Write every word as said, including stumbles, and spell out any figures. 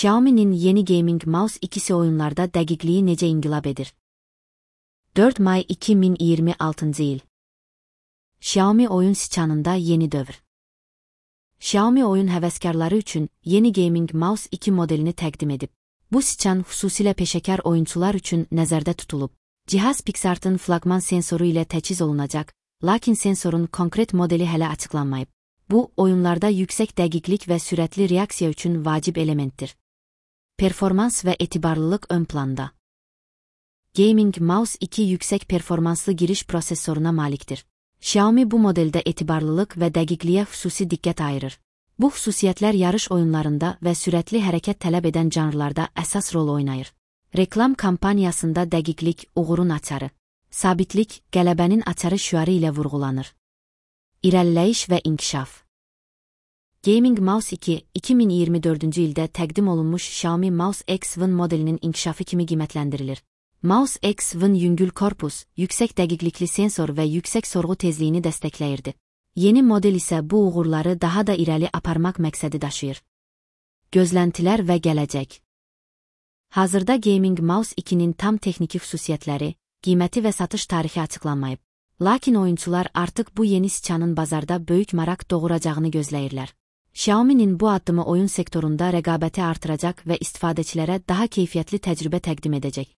Xiaomi'nin yeni gaming mouse ikisi oyunlarda dəqiqliyi necə inqilab edir? dörd may iki min iyirmi altıncı il. Xiaomi oyun siçanında yeni dövr. Xiaomi oyun həvəskarları üçün yeni gaming mouse iki modelini təqdim edib. Bu siçan xüsusilə peşəkar oyunçular üçün nəzərdə tutulub. Cihaz PixArt'ın flaqman sensoru ilə təchiz olunacaq, lakin sensorun konkret modeli hələ açıqlanmayıb. Bu, oyunlarda yüksək dəqiqlik və sürətli reaksiya üçün vacib elementdir. Performans və etibarlılıq ön planda. Gaming Mouse iki yüksək performanslı giriş prosesoruna malikdir. Xiaomi bu modeldə etibarlılıq və dəqiqliyə xüsusi diqqət ayırır. Bu xüsusiyyətlər yarış oyunlarında və sürətli hərəkət tələb edən janrlarda əsas rol oynayır. Reklam kampaniyasında dəqiqlik uğurun açarı, sabitlik qələbənin açarı şüarı ilə vurğulanır. İrəliləyiş və inkişaf. Gaming Mouse iki, iki min iyirmi dördüncü ildə təqdim olunmuş Xiaomi Mouse X One modelinin inkişafı kimi qiymətləndirilir. Mouse X One yüngül korpus, yüksək dəqiqlikli sensor və yüksək sorğu tezliyini dəstəkləyirdi. Yeni model isə bu uğurları daha da irəli aparmaq məqsədi daşıyır. Gözləntilər və gələcək. Hazırda Gaming Mouse ikinin tam texniki xüsusiyyətləri, qiyməti və satış tarixi açıqlanmayıb. Lakin oyunçular artıq bu yeni siçanın bazarda böyük maraq doğuracağını gözləyirlər. Xiaomi'nin bu addımı oyun sektorunda rəqabəti artıracaq və istifadəçilərə daha keyfiyyətli təcrübə təqdim edəcək.